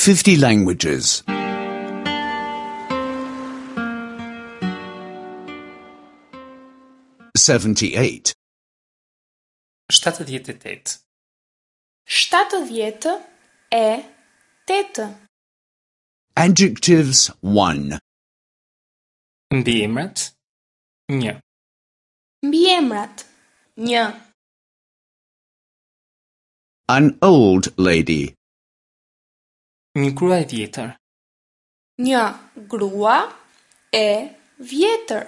50 languages. 78. 78. 78. Adjectives 1. Mbiemrat 1. Mbiemrat 1. An old lady. Një grua e vjetër. Një grua e vjetër.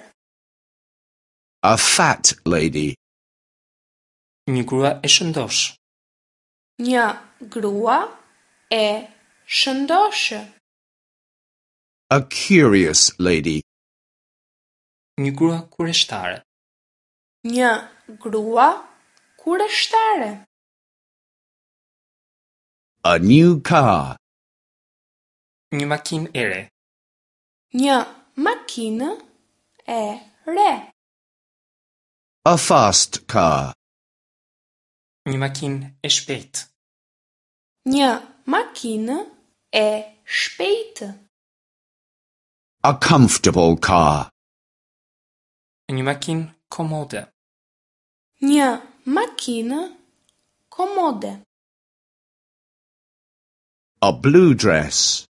A fat lady. Një grua e shëndoshë. Një grua e shëndoshë. A curious lady. Një grua kureshtare. Një grua kureshtare. A new car. Një makinë e re. Një makinë e re. A fast car. Një makinë e shpejtë. Një makinë e shpejtë. A comfortable car. Një makinë komode. Një makinë komode. A blue dress.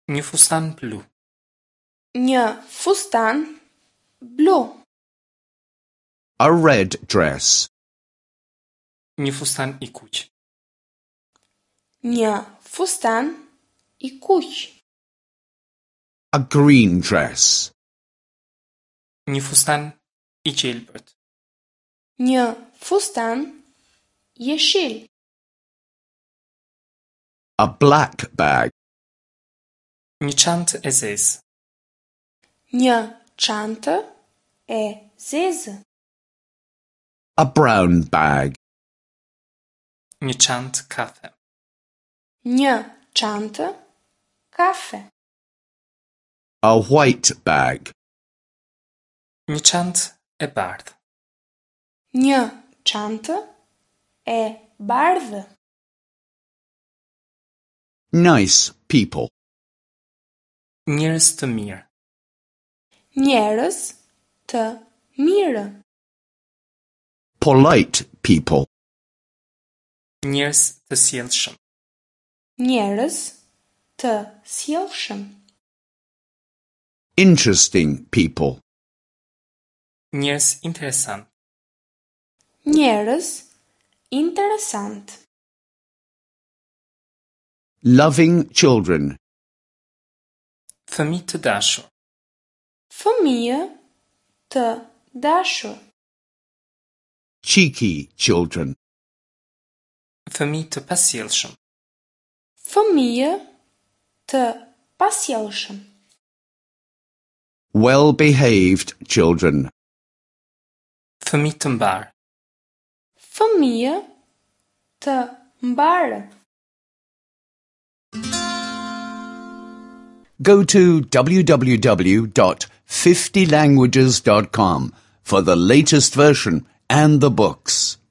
Një fustan blu. Një fustan blu. A red dress. Një fustan i kuq. Një fustan i kuq. A green dress. Një fustan i gjelbërt. Një fustan jeshil. A black bag. Një çantë e zezë. Një çantë e zezë. A brown bag. Një çantë kafe. Një çantë kafe. A white bag. Një çantë e bardhë. Një çantë e bardhë. Nice people. Njerëz të mirë. Njerëz të mirë. Polite people. Njerëz të sjellshëm. Njerëz të sjellshëm. Interesting people. Njerëz interesant. Njerëz interesant. Loving children. Fëmijë të dashur. Fëmijë të dashur. Cheeky children. Fëmijë të pasjellshëm. Fëmijë të pasjellshëm. Well-behaved children. Fëmijë të mbarë. Fëmijë të mbarë. Go to www.50languages.com for the latest version and the books.